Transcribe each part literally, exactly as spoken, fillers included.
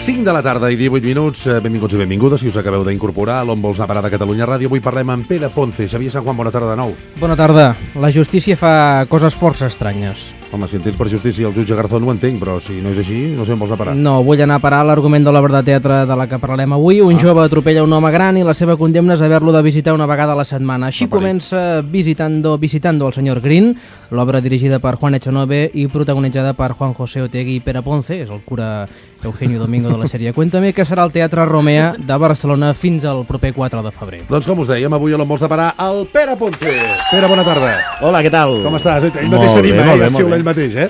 cinc de la tarda i divuit minuts. Benvinguts i benvingudes, si us acabeu d'incorporar a l'On vols anar a parar de Catalunya Ràdio. Avui parlem amb Pere Ponce. Xavier Sant Juan, bona tarda de nou. Bona tarda. La justícia fa coses força estranyes. Home, si entens per justícia el jutge Garzón ho entenc, però si no és així, no sé on vols anar a parar. No, vull anar a parar l'argument de l'obra de teatre de la que parlarem avui. Un ah. jove atropella un home gran i la seva condemna és haver-lo de visitar una vegada a la setmana. Així no comença Visitando, Visitando el senyor Green, l'obra dirigida per Juan Echanove i protagonitzada per Juan José Otegi i Pere Ponce, és el cura Eugenio Domingo de la sèrie Cuéntame, que serà al Teatre Romea de Barcelona fins al proper quatre de febrer. Doncs com us dèiem, avui a l'On vols anar a parar el Pere Ponce. Pere, bona tarda. Hola, què tal? Com estàs? Ell mateix s'anima, eh? Ja ell mateix, eh?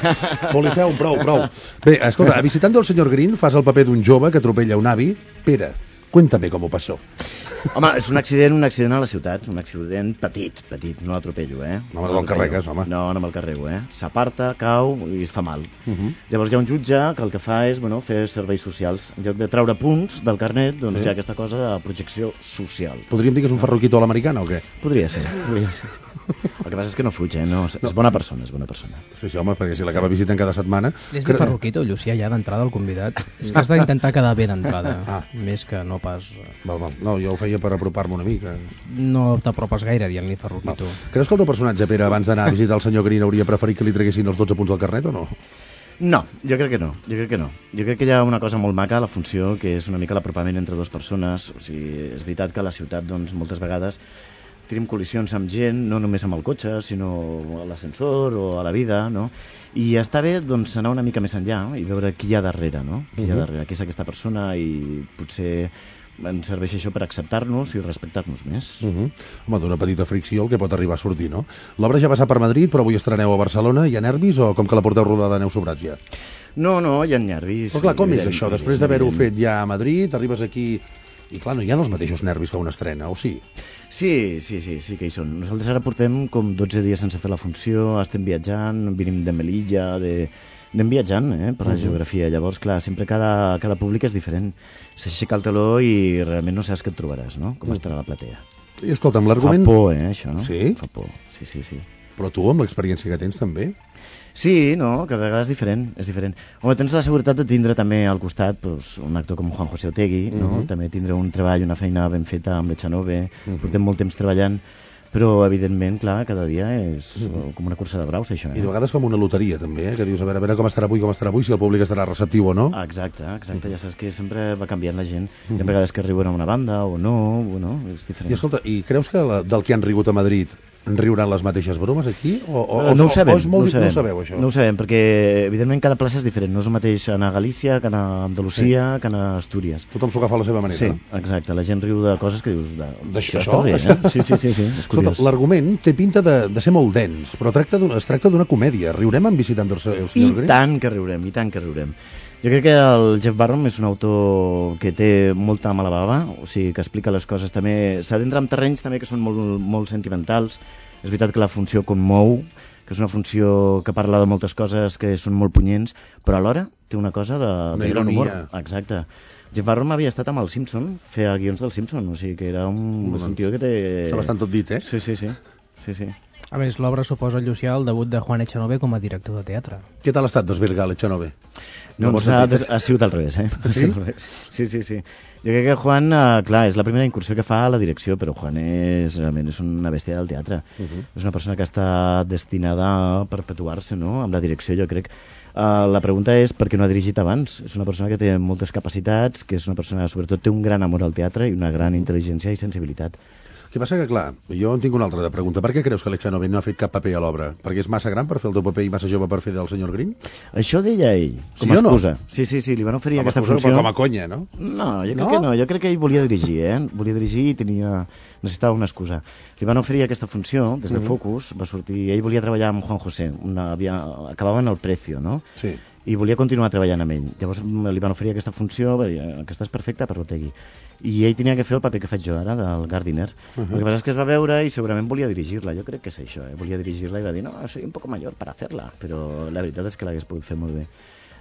Policeu, prou, prou. Bé, escolta, a Visitando el senyor Green fas el paper d'un jove que atropella un avi. Pere, cuéntame com ho passó. Home, és un accident, un accident a la ciutat, un accident petit, petit, no l'atropello, eh? No me'l carregues, home. No, no me'l carrego, eh? S'aparta, cau i es fa mal. Uh -huh. Llavors hi ha un jutge que el que fa és, bueno, fer serveis socials. En lloc de treure punts del carnet, doncs sí. hi ha aquesta cosa de projecció social. Podríem dir que és un ferroquito a l'americana o què? Podria ser, podria ser. El que passa és que no fuig, eh? No, és bona persona, és bona persona. Sí, sí, home, perquè si l'acaba visitant cada setmana... És de ferroquito, Llucià, ja d'entrada el convidat. És que has d'intentar quedar bé d'entrada, ah. més que no pas... Val, val. No, jo ho feia per apropar-me una mica. No t'apropes gaire dient-li ferroquito. Val. Creus que el teu personatge, Pere, abans d'anar a visitar el senyor Green, hauria preferit que li treguessin els dotze punts del carnet o no? No, jo crec que no, jo crec que no. Jo crec que hi ha una cosa molt maca a la funció, que és una mica l'apropament entre dues persones. O sigui, és veritat que a la ciutat, doncs, moltes vegades tenim col·lisions amb gent, no només amb el cotxe, sinó a l'ascensor o a la vida, no? I està bé, doncs, anar una mica més enllà i veure qui hi ha darrere, no? Qui hi ha darrere, qui és aquesta persona, i potser ens serveix això per acceptar-nos i respectar-nos més. Uh -huh. Home, d'una petita fricció el que pot arribar a sortir, no? L'obra ja va passar per Madrid, però avui estreneu a Barcelona. Hi ha nervis o com que la porteu rodada aneu sobrats ja? No, no, hi ha nervis. Però clar, com és això? Després d'haver-ho fet ja a Madrid, arribes aquí... I clar, no hi ha els mateixos nervis que una estrena, o sí? Sí, sí, sí, sí que hi són. Nosaltres ara portem com dotze dies sense fer la funció, estem viatjant, venim de Melilla, de... anem viatjant eh, per la uh-huh. geografia. Llavors, clar, sempre cada, cada públic és diferent. S'aixeca el teló i realment no saps què et trobaràs, no? Com uh-huh. estarà la platea. I escolta'm, l'argument... Fa por, eh, això. Sí? Fa por, sí, sí, sí. Però tu, amb l'experiència que tens, també? Sí, no, cada vegada és diferent, és diferent. Home, tens la seguretat de tindre també al costat doncs, un actor com Juan José Otegi, no? Uh-huh. També tindre un treball, una feina ben feta amb l'Echanove, uh-huh. portem molt temps treballant, però evidentment, clar, cada dia és uh-huh. com una cursa de braus, això. Eh? I de vegades com una loteria, també, eh? Que dius, a veure, a veure com estarà avui, com estarà avui, si el públic estarà receptiu o no. Exacte, exacte, ja saps que sempre va canviant la gent. Uh-huh. Hi ha vegades que riuen a una banda o no, bueno, és diferent. I escolta, i creus que la, del que han rigut a Madrid en riuran les mateixes bromes aquí? O, o, no ho sabem, o és molt, no, ho sabem. no ho sabeu, això? No ho sabem, perquè evidentment cada plaça és diferent. No és el mateix anar a Galícia, que anar a Andalusia, sí. que anar a Astúries. Tothom s'ho agafa a la seva manera, sí, no? Sí, exacte. La gent riu de coses que dius... D'això? Està bé, eh? Sí, sí, sí, sí. És curiós. L'argument té pinta de, de ser molt dens, però tracta es tracta d'una comèdia. Riurem en Visitant el senyor Green? I tant que riurem, i tant que riurem. Jo crec que el Jeff Barron és un autor que té molta mala bava, o sigui, que explica les coses també... S'adentra en terrenys també que són molt, molt sentimentals. És veritat que la funció commou, que és una funció que parla de moltes coses que són molt punyents, però alhora té una cosa de, de gran humor. Exacte. Jeff Barron havia estat amb el Simpson, feia guions del Simpson, o sigui que era un, un tio que té... Està bastant tot dit, eh? Sí, sí, sí. sí, sí. A més, l'obra suposa, Llucià, el debut de Juan Echanove com a director de teatre. Què tal ha estat desvirgar l'Echanove? No, no ha, des... ha sigut al revés, eh? Sí? Sí, sí, sí. Jo crec que Juan, eh, clar, és la primera incursió que fa a la direcció, però Juan és, realment és una bèstia del teatre. Uh-huh. És una persona que està destinada a perpetuar-se, no?, amb la direcció, jo crec. Uh, la pregunta és per què no ha dirigit abans. És una persona que té moltes capacitats, que és una persona, sobretot, té un gran amor al teatre i una gran intel·ligència i sensibilitat. El que passa que, clar, jo en tinc una altra pregunta. Per què creus que l'Echanove no ha fet cap paper a l'obra? Perquè és massa gran per fer el teu paper i massa jove per fer del senyor Green? Això deia ell, com sí a excusa. No? Sí, sí, sí, li van oferir com aquesta excusa, funció. Com a conya, no? No, jo crec no? que no. Jo crec que ell volia dirigir, eh? Volia dirigir i tenia... necessitava una excusa. Li van oferir aquesta funció des de uh-huh. Focus, va sortir... Ell volia treballar amb Juan José, una... havia... acabaven el Precio, no? Sí. I volia continuar treballant amb ell. Llavors li van oferir aquesta funció, va dir, aquesta és perfecta per Otegi. I ell tenia que fer el paper que faig jo ara, del Gardiner. Uh-huh. El que passa és que es va veure i segurament volia dirigir-la. Jo crec que és això, eh? Volia dirigir-la i va dir, no, soy un poco mayor para hacerla. Però la veritat és que l'hagués pogut fer molt bé.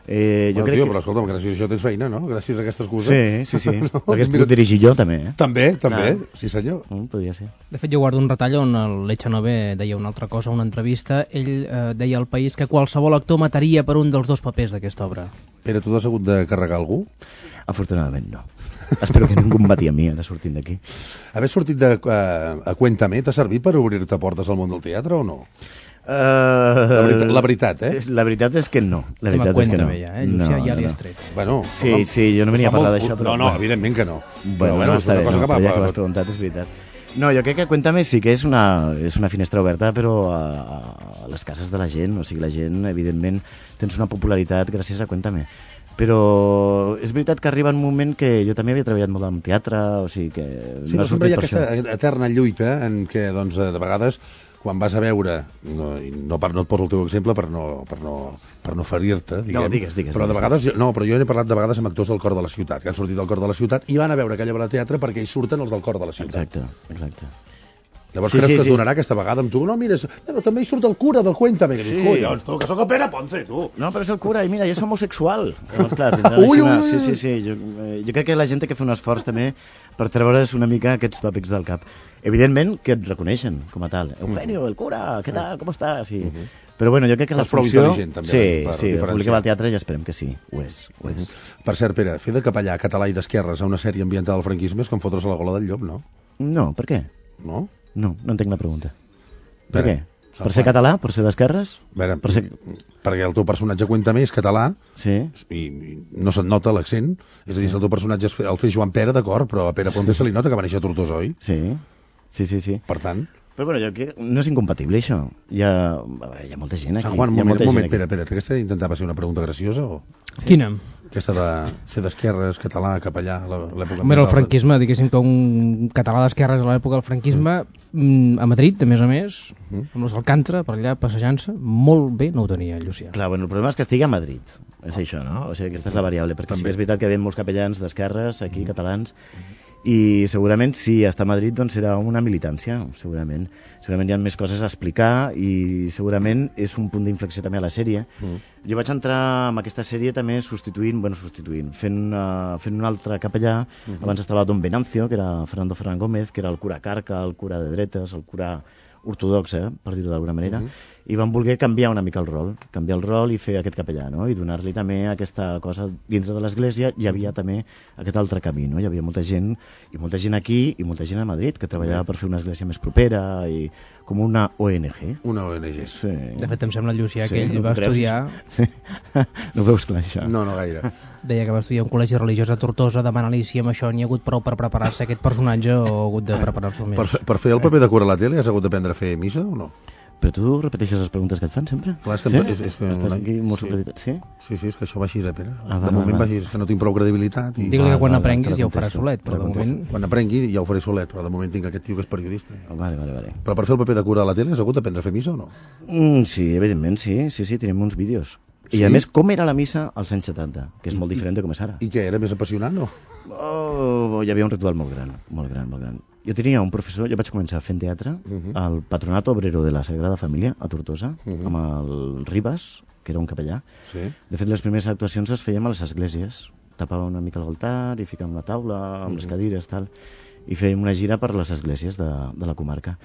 Eh, jo bueno, crec tio, que... però escolta'm, gràcies a això tens feina, no? Gràcies a aquesta excusa. Sí, sí, sí. No? Perquè puc dirigir jo, també. Eh? També, també, Clar. sí senyor. Mm, podria ser. De fet, jo guardo un retall on l'Echanove deia una altra cosa, una entrevista. Ell eh, deia al País que qualsevol actor mataria per un dels dos papers d'aquesta obra. Pere, tu t'has hagut de carregar algú? Afortunadament no. Espero que ningú em bati a mi ara sortint d'aquí. Haver sortit de, uh, a Cuéntame t'ha servit per obrir-te portes al món del teatre o no? Uh, la, veritat, la veritat, eh? La veritat és que no. La veritat és que no. Ja, eh? Llucià, no, ja li has tret. Bueno, sí, no, sí, jo no venia a parlar d'això. Però... No, no, evidentment que no. Bueno, però, bueno, està bé, cosa no, que va, però ja que va, m'has preguntat, és veritat. No, jo crec que Cuéntame sí que és una, és una finestra oberta, però a, a les cases de la gent. O sigui, la gent, evidentment, tens una popularitat gràcies a Cuéntame. Però és veritat que arriba un moment que jo també havia treballat molt en teatre, o sigui que... Sí, no però sempre hi ha aquesta això. eterna lluita en què, doncs, de vegades, quan vas a veure, no, no, per, no et poso el teu exemple per no, per no, per no ferir-te, diguem, no, digues, digues, però de digues, vegades, no, però jo he parlat de vegades amb actors del cor de la ciutat, que han sortit del cor de la ciutat i van a veure aquella obra de teatre perquè hi surten els del cor de la ciutat. Exacte, exacte. Llavors Sí, creus sí, que es sí. donarà aquesta vegada amb tu? No, mira, no, també hi surt el cura del Cuéntame, que dius, Sí. collons, tu, que sóc el Pere Ponce, tu. No, però és el cura, i mira, jo soc homosexual. Llavors, clar, tindran Ui, així una... ui, ui. Sí, sí, sí. Jo, eh, jo crec que la gent té que fer un esforç també per treure's una mica aquests tòpics del cap. Evidentment que et reconeixen com a tal. Eugenio, el cura, què tal, com estàs? Sí. Però bueno, jo crec que la És prou funció... intel·ligent, també, Sí, per sí, el diferenciar. públic que va al teatre ja esperem que sí, ho és. Ho és. Per cert, Pere, fer de capellà català i d'esquerres a una sèrie ambientada al franquisme és com fotre's a la gola del llop, no? No, per què? No? No, no entenc la pregunta. Per Pere, què? Sant Per ser Juan. català? Per ser d'esquerres? A veure, Per ser... perquè el teu personatge Cuéntame és català Sí. i i no se't nota l'accent. És a dir, si el teu personatge es fe- el fes Joan Pere, d'acord, però a Pere Ponce se li nota que va néixer a Tortosa, oi? Sí, sí, sí, sí. Per tant, Però bueno, jo crec que no és incompatible això. Hi ha, hi ha molta gent aquí. Sant Juan, un hi ha moment, molta un gent moment, aquí. Pere, Pere, aquesta intentava ser una pregunta graciosa o Quina? aquesta de ser d'esquerres, català, capellà, a l'època... Home, era el ambiental? franquisme, diguéssim que un català d'esquerres a l'època del franquisme, mm. a Madrid, a més a més, Mm. amb los Alcántara, per allà passejant-se, molt bé no ho tenia, Llucià. Clar, bueno, el problema és que estigui a Madrid. És això, no? O sigui, aquesta és la variable, perquè sí També. que és veritat que hi ha molts capellans d'esquerres aquí, catalans, i segurament si està a Madrid doncs serà una militància, segurament. Segurament hi ha més coses a explicar i segurament és un punt d'inflexió també a la sèrie. Mm. Jo vaig entrar en aquesta sèrie també substituint, bueno, substituint, fent, uh, fent un altre capellà. Mhm. Abans estava Don Venancio, que era Fernando Ferran Gómez, que era el cura carca, el cura de dretes, el cura ortodox, eh, per dir-ho d'alguna manera, Mhm. i van voler canviar una mica el rol, canviar el rol i fer aquest capellà, no? I donar-li també aquesta cosa dintre de l'església. Hi havia també aquest altre camí, no? Hi havia molta gent, i molta gent aquí i molta gent a Madrid, que treballava per fer una església més propera i com una O N G. Una O N G. Sí. De fet, em sembla, Llucià, Sí, que ell no va t'ho creus? estudiar, No ho veus clar, això? No, no gaire. deia que va estudiar un col·legi religiós a Tortosa, demanant-li si amb això n'hi ha hagut prou per preparar-se aquest personatge o ha hagut de preparar-se més. Per, fe- per fer el paper de cura a la tele has hagut d'aprendre a fer missa o no? Però tu repeteixes les preguntes que et fan sempre? Clar, és que sí? em- és- és que- Estàs aquí molt sí. supeditat, sí? Sí, sí, és que això va així, eh, Pere? Ah, va, de moment va, va va. així, és que no tinc prou credibilitat. I... Digue-li que quan Ah, val, aprenguis te la ja ho faràs contesto, solet, te però la de contesto. moment... Quan aprengui ja ho faré solet, però de moment tinc aquest tio que és periodista. Vale, vale, vale. Però per fer el paper de cura a la tele has hagut d'aprendre a fer missa o no? Mm, sí, evidentment, sí, sí, sí, tenim uns vídeos. I Sí? a més, com era la missa als anys setanta, que és molt diferent de com és ara. I què, era més apassionant o? Oh, hi havia un ritual molt gran, molt gran, molt gran. Jo tenia un professor, jo vaig començar fent teatre Mhm. al Patronato Obrero de la Sagrada Família, a Tortosa, Mhm. amb el Ribas, que era un capellà. Sí. De fet, les primeres actuacions les fèiem a les esglésies. Tapàvem una mica l'altar i ficàvem la taula amb les cadires, tal, i fèiem una gira per les esglésies de, de la comarca.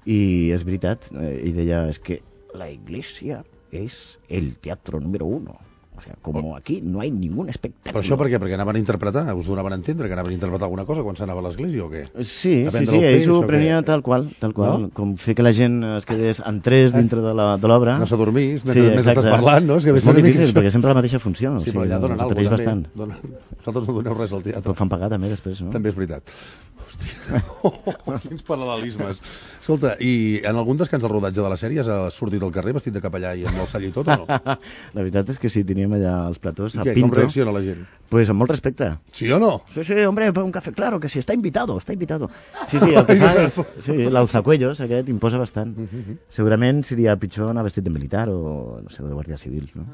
I és veritat, eh, ell deia, és que la iglesia és el teatro número uno. O sea, como aquí no hay ningún espectáculo. Però això per què? Perquè anaven a interpretar? Us donaven a entendre que anaven a interpretar alguna cosa quan s'anava a l'església o què? Sí, A sí, vendre sí, el ell peix, s'ho o què? prenia tal qual, tal qual, No? com fer que la gent es quedés en tres dintre de la- de l'obra. No s'adormís, mentre, Sí, mentre exacte. estàs parlant, no? És, que És deu molt ser una difícil, mica perquè això. sempre la mateixa funció. Sí, o però sigui, allà donen es alguna repeteix cosa. bastant. Donen... Vosaltres no doneu res al teatre. Però fan pagar també després, no? També és veritat. Hòstia, oh, quins paral·lelismes. Escolta, i en algun descans del rodatge de la sèrie has sortit al carrer vestit de capellà i amb el sall i tot o no? La veritat és que sí, teníem allà els platós, I a què, com Pinto. reacciona la gent? Pues amb molt respecte. Sí o no? Sí, sí, hombre, un café, claro, que sí, está invitado, está invitado. Sí, sí, el que fa és... Sí, l'alzacuellos aquest imposa bastant. Segurament seria pitjor anar vestit de militar o, no sé, de guàrdia civil, no?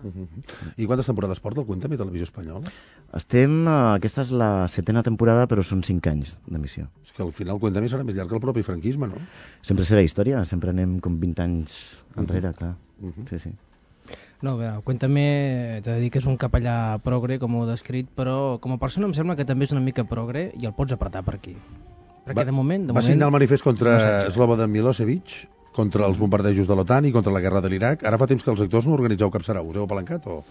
I quantes temporades porta el Cuéntame Televisió Espanyola? Estem... eh, Aquesta és la setena temporada, però són cinc anys d'emissió. És que al final el Cuéntame serà més llarg que el propi franquisme, no? Sempre serà història, sempre anem com vint anys enrere, clar. Sí, sí. No, bé, Cuéntame, t'he de dir que és un capellà progre, com ho he descrit, però com a persona em sembla que també és una mica progre i el pots apretar per aquí. Perquè va, de moment... De va moment, signar el manifest contra no Slobodan Milosevic, contra els bombardejos de l'OTAN i contra la guerra de l'Iraq. Ara fa temps que els actors no organitzeu cap sarau. Us heu apalancat o...?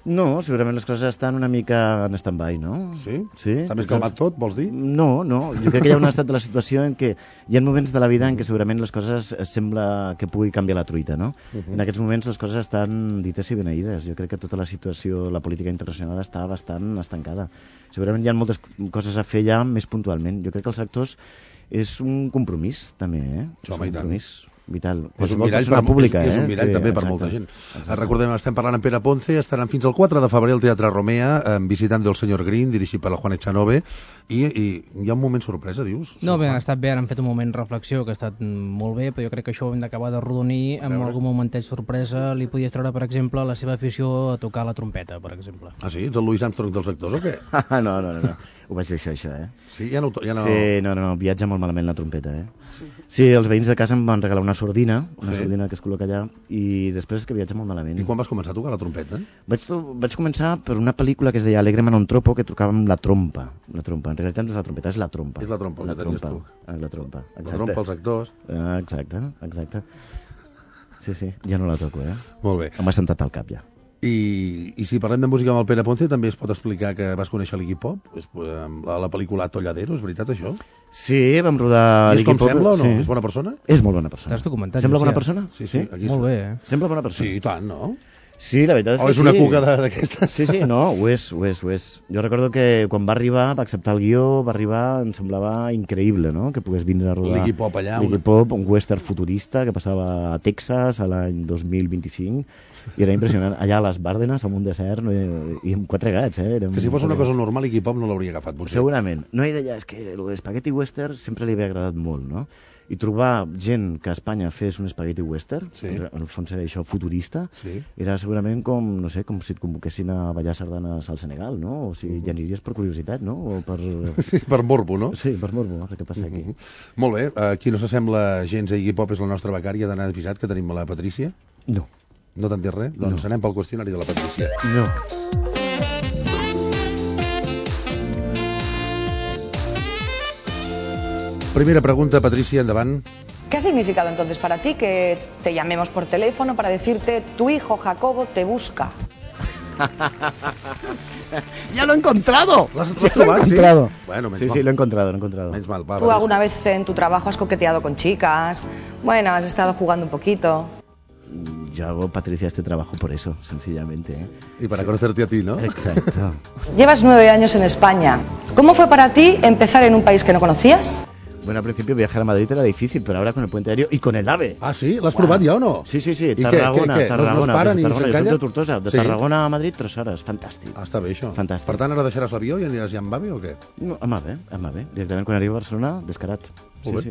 No, segurament les coses estan una mica en stand-by, no? Sí? Sí. Està més calmat tot, vols dir? No, no. Jo crec que hi ha un estat de la situació en què hi ha moments de la vida en què segurament les coses sembla que pugui canviar la truita, no? Uh -huh. En aquests moments les coses estan dites i beneïdes. Jo crec que tota la situació, la política internacional està bastant estancada. Segurament hi ha moltes coses a fer ja més puntualment. Jo crec que els actors és un compromís, també, eh? Sí, home, és un compromís vital. És un mirall, per, pública, és, és un eh? mirall sí, també exacte, per molta gent. Exacte. Recordem, estem parlant amb Pere Ponce, estaran fins al quatre de febrer al Teatre Romea, eh, visitant del senyor Green, dirigit per el Juan Echanove, i, i hi ha un moment sorpresa, dius? No, bé, ha estat bé, ara han fet un moment reflexió que ha estat molt bé, però jo crec que això ho hem d'acabar de rodonir amb algun momentet sorpresa. Li podies treure, per exemple, la seva afició a tocar la trompeta, per exemple. Ah, sí? Ets el Louis Armstrong dels actors o què? no, no, no, no. Ho vaig deixar, això, eh? Sí, ja no... Ja no... Sí, no, no, no, viatja molt malament la trompeta, eh? Sí, els veïns de casa em van regalar una sordina, una sí. sordina que es col·loca allà, i després és que viatja molt malament. I quan vas començar a tocar la trompeta? Vaig, vaig començar per una pel·lícula que es deia Alegre Manon Tropo, que tocava amb la trompa. La trompa, en realitat no és la trompeta, és la trompa. És la trompa, la que trompa, tu. Ah, la trompa, exacte. La trompa, els actors. Ah, exacte, exacte. Sí, sí, ja no la toco, eh? Molt bé. M'ha sentat al cap, ja. I, I si parlem de música amb el Pere Ponce, també es pot explicar que vas conèixer l'Iggy Pop, la, la pel·lícula Atolladero, és veritat això? Sí, vam rodar l'Iggy Pop. I és com sembla o no? Sí. És bona persona? És molt bona persona. T'has documentat? Sembla bona ja. persona? Sí, sí. Aquí molt bé, eh? Sembla bona persona. Sí, i tant, no? Sí, la veritat és o que és una sí. cuca d'aquestes? Sí, sí, no, ho és, ho és, ho és. Jo recordo que quan va arribar, va acceptar el guió, va arribar, em semblava increïble, no?, que pogués vindre a rodar l'Iggy Pop allà. L'Iggy Pop, un western futurista que passava a Texas a l'any dos mil vint-i-cinc, i era impressionant. Allà a les Bàrdenes, amb un desert, no, i amb quatre gats, eh? Érem que si fos una cosa normal, l'Iggy Pop no l'hauria agafat, potser. Segurament. No hi deia, és que l'espagueti western sempre li havia agradat molt, no? I trobar gent que a Espanya fes un espagueti western, sí. En el fons era això futurista, sí. Era segurament com, no sé, com si et convoquessin a ballar sardanes al Senegal, no? O sigui, ja aniries per curiositat, no? O per... Sí, per morbo, no? Sí, per morbo, a veure què passa aquí. Uh -huh. Molt bé, aquí no s'assembla gens a Iggy Pop, és la nostra becària d'anar avisat, que tenim a la Patrícia. No. No t'han dit res? Doncs no. Anem pel qüestionari de la Patrícia. No. Primera pregunta, Patricia, endavant. ¿Qué ha significado entonces para ti que te llamemos por teléfono para decirte tu hijo Jacobo te busca? ¡Ya lo he encontrado! ¿Lo has trobat, sí? Bueno, sí, sí, lo he encontrado, lo he encontrado. Menys mal, va, ¿Tú alguna vez en tu trabajo has coqueteado con chicas? Bueno, has estado jugando un poquito. Yo hago, Patricia, este trabajo por eso, sencillamente, ¿eh? Y para sí. conocerte a ti, ¿no? Exacto. Llevas nueve años en España. ¿Cómo fue para ti empezar en un país que no conocías? Bueno, al principio viajar a Madrid era difícil, pero ahora con el puente aéreo y con el AVE. Ah, sí? L'has wow. provat ja o no? Sí, sí, sí. I Tarragona, què, què, què? Tarragona. No es paren i s'encalla? De Tortosa, de sí. Tarragona a Madrid, tres hores. Fantàstic. Ah, està bé, això. Fantàstic. Per tant, ara deixaràs l'avió i aniràs ja amb AVE o què? No, amb AVE, amb AVE. Directament quan arriba a Barcelona, descarat. Sí, sí.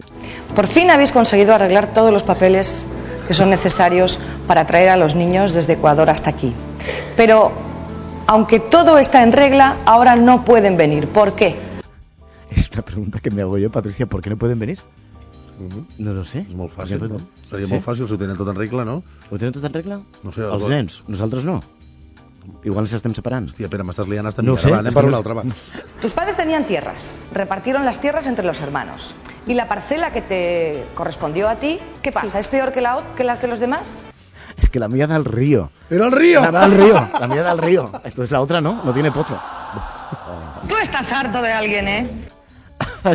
Por fin habéis conseguido arreglar todos los papeles que son necesarios para traer a los niños desde Ecuador hasta aquí. Pero, aunque todo está en regla, ahora no pueden venir. ¿Por qué? Es una pregunta que me hago yo, Patricia. ¿Por qué no pueden venir? Uh -huh. No lo sé. És molt fàcil, no? Seria sí? molt fàcil si ho tenen tot en regla, no? Ho tenen tot en regla? No sé. Els nens, nosaltres no. Igual ens estem separant. Hòstia, Pere, m'estàs liant hasta no mi. Sé, va, anem per una altra, va. Tus padres tenían tierras, repartieron las tierras entre los hermanos. ¿Y la parcela que te correspondió a ti, qué pasa? Sí. ¿Es peor que, la, que las de los demás? Es que la mía da al río. ¡Era el río! La da al río, la mía da al río. Entonces la otra no, no tiene pozo. Tú estás harto de alguien, ¿eh?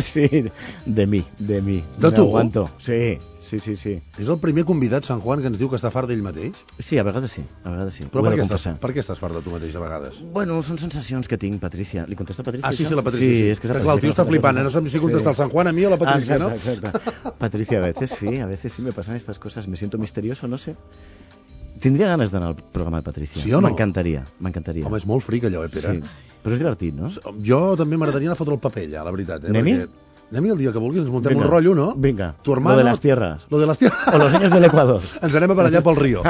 Sí, de mi, de mi. De tu? Aguanto. Sí, sí, sí, sí. És el primer convidat, Sant Juan, que ens diu que està fart d'ell mateix? Sí, a vegades sí, a vegades sí. Però per què, estàs, per què estàs fart de tu mateix, a vegades? Bueno, són sensacions que tinc, Patricia. Li contesta Patricia? Ah, sí, sí, la Patricia, sí. sí. És que, que clar, el tio està flipant, eh? No sabem si contesta el Sant Juan a mi o la Patricia, ah, exacte, ¿no? Exacte. Patricia, a veces sí, a veces sí me pasan estas cosas. Me siento misterioso, no sé. Tindria ganes d'anar al programa de Patricia. Sí o no? M'encantaria, m'encantaria. Home, és molt fric allò, eh, Pere? Sí, però és divertit, no? Jo també m'agradaria anar a fotre el paper allà, la veritat. Eh? Anem-hi? Perquè... Anem-hi el dia que vulguis, ens muntem Vinga. un rotllo, no? Vinga, tu hermano, lo de las tierras. Lo de las tierras. O los niños del Ecuador. Ens anem a per allà pel río.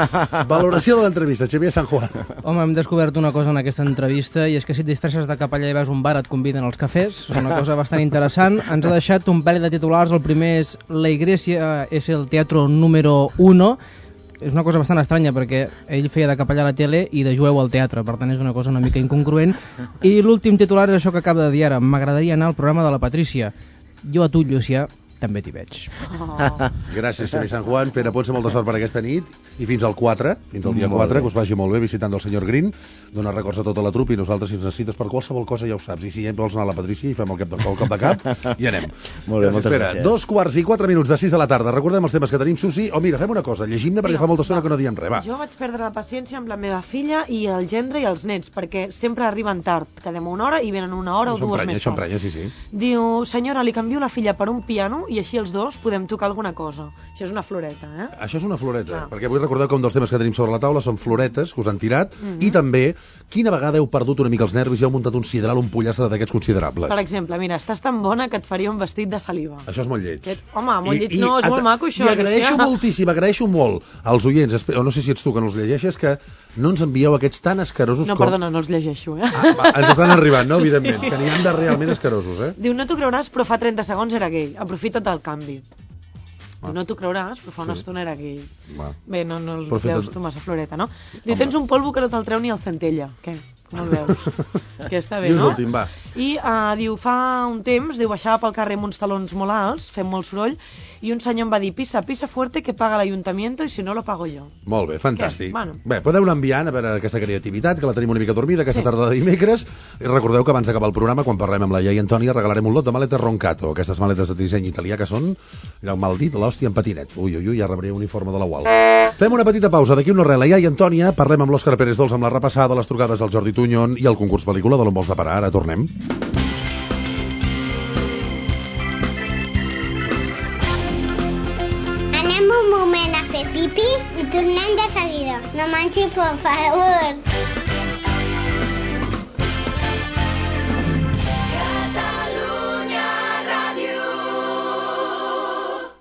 Valoració de l'entrevista, Xavier San Juan. Home, hem descobert una cosa en aquesta entrevista, i és que si et disfresses de capellà i vas a un bar et conviden als cafès. És una cosa bastant interessant. Ens ha deixat un parell de titulars. El primer és: la Iglesia és el teatro número uno. és una cosa bastant estranya, perquè ell feia de capellà a la tele i de jueu al teatre, per tant és una cosa una mica incongruent. I l'últim titular és això que acaba de dir ara: m'agradaria anar al programa de la Patrícia. Jo a tu, Llucià, també t'hi veig. Oh. Gràcies, Xavi Sant Juan. Pere Ponce, molta sort per aquesta nit i fins al quatre, fins al dia quatre, que us vagi molt bé visitant el senyor Green. Dona records a tota la trupa i nosaltres, si ens necessites per qualsevol cosa, ja ho saps. I si ja vols anar a la Patrícia i fem el cop de, el cop de cap, i anem. Molt bé, gràcies, moltes gràcies. Dos quarts i quatre minuts de sis de la tarda. Recordem els temes que tenim, Susi. O oh, mira, fem una cosa, llegim-ne perquè fa molta estona que no diem res. Va. Jo vaig perdre la paciència amb la meva filla i el gendre i els nets, perquè sempre arriben tard. Quedem una hora i venen una hora o dues més tard. Emprenya, sí, sí. Diu, senyora, li canvio la filla per un piano i així els dos podem tocar alguna cosa. Això és una floreta, eh? Això és una floreta, Clar. perquè vull recordar que un dels temes que tenim sobre la taula són floretes que us han tirat, mm -hmm. i també quina vegada heu perdut una mica els nervis i heu muntat un sideral, un pollastre d'aquests considerables. Per exemple, mira, estàs tan bona que et faria un vestit de saliva. Això és molt lleig. Que... Home, molt lleig no, és molt maco això. I agraeixo ja. moltíssim, agraeixo molt als oients, no sé si ets tu que no els llegeixes, que no ens envieu aquests tan escarosos no, com... No, perdona, no els llegeixo, eh? Ah, va, ens estan arribant, no? Evidentment, sí. Que n'hi han de realment escarosos, eh? Diu, no t'ho creuràs, però fa trenta segons era gay. Aprofita't del canvi. Ah. No t'ho creuràs, però fa una sí. estona era gay. Va. Bé, no, no el Profita... veus tu massa floreta, no? Diu, tens un polvo que no te'l treu ni el centella. Què? Com el veus? Que està bé, no? Últim, va. I uh, diu, fa un temps, diu, baixava pel carrer amb uns talons molt alts, fent molt soroll, i un senyor em va dir, pisa, pisa fuerte que paga l'Ayuntamiento i si no lo pago jo. Molt bé, fantàstic. Bueno. Bé, podeu anar enviant a veure aquesta creativitat, que la tenim una mica dormida aquesta sí. tarda de dimecres, i recordeu que abans d'acabar el programa, quan parlem amb la iaia Antònia, regalarem un lot de maletes Roncato, aquestes maletes de disseny italià que són, ja mal dit, l'hòstia en patinet. Ui, ui, ui, ja rebré un uniforme de la U A L. Fem una petita pausa, d'aquí una res, la iaia Antònia, parlem amb l'Òscar Pérez Dols amb la repassada, les trucades del Jordi Tuñón i el concurs pel·lícula de l'on vols de parar. Ara tornem. Un moment a fer pipi i tornem de seguida. No manxi, per favor.